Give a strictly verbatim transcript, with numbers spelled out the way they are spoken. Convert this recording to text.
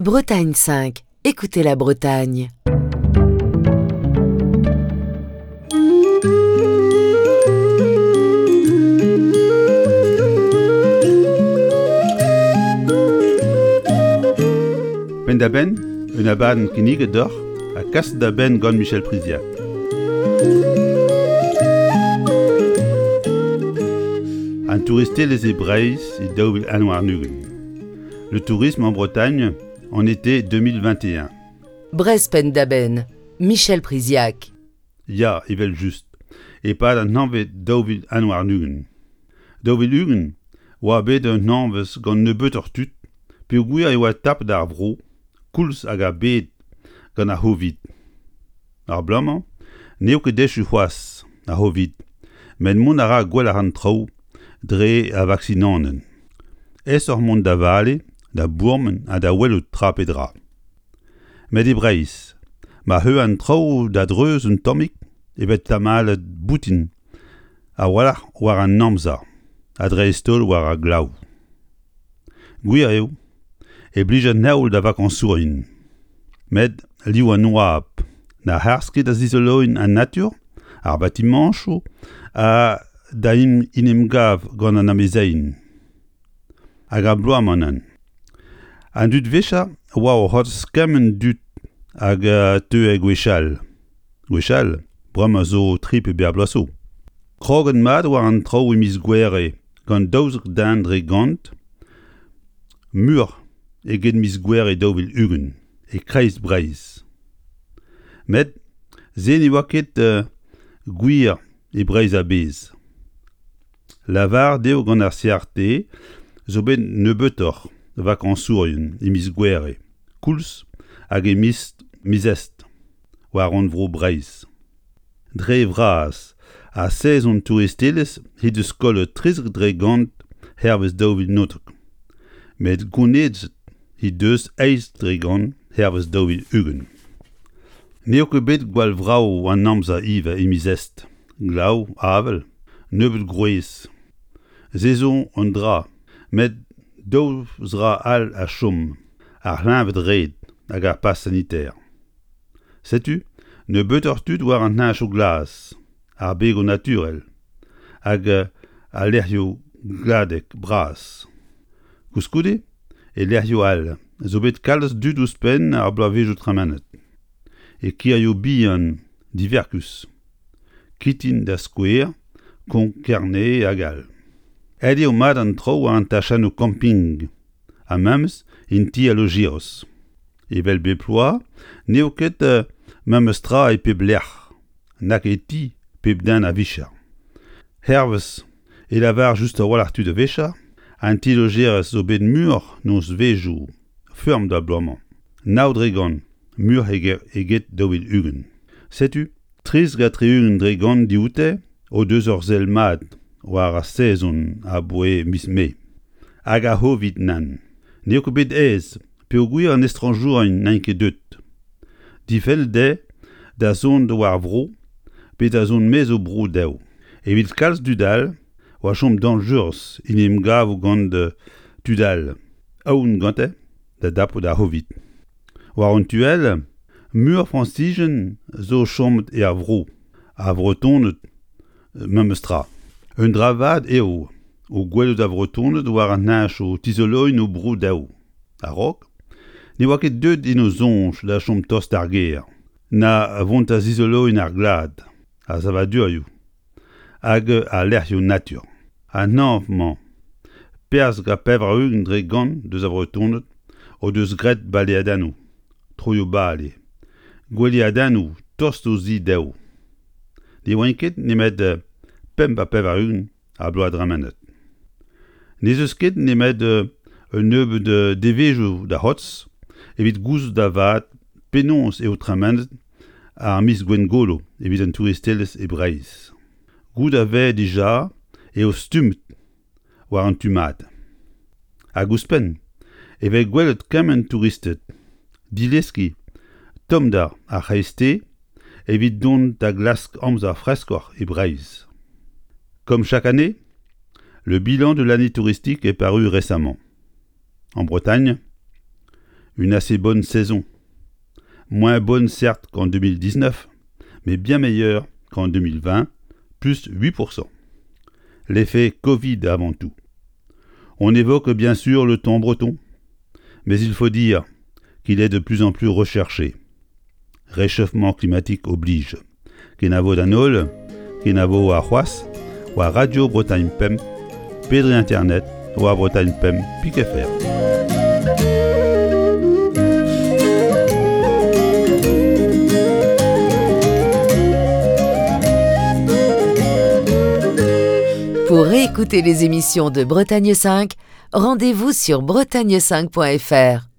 Bretagne cinq, écoutez la Bretagne. Penn-da-benn, un abadenn kinniget deoc'h ha kaset da benn gant Michel Priziac. An touristelezh e Breizh e daou vil un warn-ugent. Le tourisme en Bretagne en été deux mille vingt et un. Breizh penn-da-benn, Michel Priziac. Ya, evel just, e-pad an hañvezh daou vil un warn-ugent. Daou vil ugent oa bet un hañvezh gant nebeutoc'h tud, peogwir e oa tapet ar vro, koulz hag ar bed gant ar C'hovid. Ar bloaz-mañ n'eo ket echu c'hoazh ar C'hovid, met mont a ra gwelloc'h an traoù dre ar vaksinanenn. Aesoc'h mont da vale, da bourmen ha da welout tra pe dra. Met e Breizh, ma c'heu an traoù da dreuz un tammig e vez tamalet boutin a-walc'h war an amzer, ha dreist-holl war ar glav. Gwir eo, e blij an heol da vakañsourien. Met liv an oabl na harz ket da zizoloiñ an natur, ar batimañchoù ha da en em gav gant an amezeien. Hag ar bloaz-mañ nann. An dud wechañ oa o c'hortoz kement dud hag teue gwechall. Gwechall, bremañ zo tri pe bevar bloaz zo. Kroget mat war an traoù e miz Gouere gant daouzek den dre gant, muioc'h eget miz Gouere daou vil ugent, e kreiz Breizh. Met se ne oa ket euh, gwir e Breizh a-bezh. Lavar dezho gant ar C R T zo bet nebeutoc'h vakañsourien e miz Gouere, koulz hag e miz, miz Est, war rannvro Breizh. Dre vras, ar sezon touristelezh he deus kollet trizek dre gant hervez daou vil naontek. Met gounezet he deus eizh dre gant hervez daou vil ugent. N'eo ket bet gwall vrav an amzer ivez e miz Est. Glav, avel, nebeut gwrez. Se zo un dra, met daou zra all a chom, ar c'hleñved-red hag ar pass sanitaire. Setu, nebeutoc'h tud war an heñchoù glas, ar begoù naturel, hag al lec'hioù gladek bras. Koulskoude, e lec'hioù all, zo bet kalz dud ouzhpenn ar bloavezhioù tremenet. E kirioù bihan diverkus. Kitin da skouer, Konk-Kerne hag all. Aet eo mat an traoù war an tachennoù camping, ha memes en ti a lojeros. Evel bep bloaz, n'eo ket euh, memes tra e pep lec'h, nag e ti pep den a vicher. Hervez e lavar just a-walc'h tud a vicher, an ti lojerez zo bet muioc'h nozvezhioù feurm da bloaz-mañ. Nav dre gant, muioc'h eget, eget daou vil ugent. Setu, trizek ha tri-ugent dre gant dioute o deus ur sell mat war ar sezon aboae miz Mae. Hag ar C'hovid nann. N'eo ket bet aes, peogwir an estrañjourien n'int ket deut. Difennet dezhe da zont war vro pe da zont maez o bro dezho. Evit kalz tud all, oa chom dañjerus en em gavo gant tud all, aon gante da dapout ar C'hovid. War an tu all, muioc'h Frañsijen zo chomet er vro, ar Vretoned memes tra. Un dra vat eo o gwelout ar Vretoned war an heñchoù tizoloiñ o bro dezho. A-raok, ne oa ket deuet en o soñj da chom tost d'ar gêr, na vont da zizoloiñ ar glad, ar savadurioù hag al lec'hioù natur. An hañv-mañ, perzh ha pevar-ugent dre gant deus ar Vretoned o deus graet baleadennoù, troioù-bale, gweliadennoù tost o zi dezho. Ne oant ket nemet pemp ha pevar-ugent ar bloaz dremenet. N'ez eus ket nemet un nebeud devezhioù da c'hortoz evit gouzout da vat penaos eo tremenet ar miz Gwengolo evit an touristelezh e Breizh. Goût a vez dija eo stummet war an tu mat. Hag ouzhpenn, e vez gwelet kement touristed dileskiñ tommder ar c'hreisteiz evit dont da glask amzer freskoc'h e Breizh. Comme chaque année, le bilan de l'année touristique est paru récemment. En Bretagne, Une assez bonne saison. Moins bonne certes qu'en deux mille dix-neuf, mais bien meilleure qu'en deux mille vingt, plus huit pour cent. L'effet Covid avant tout. On évoque bien sûr le thon breton, mais il faut dire qu'il est de plus en plus recherché. Réchauffement climatique oblige. Kenavo d'an holl, kenavo ar c'hoazh, war Radio Bretagne Pemp, pedre Internet, war Bretagne Pemp, pik F R. Pour réécouter les émissions de Bretagne cinq, rendez-vous sur bretagne cinq point F R.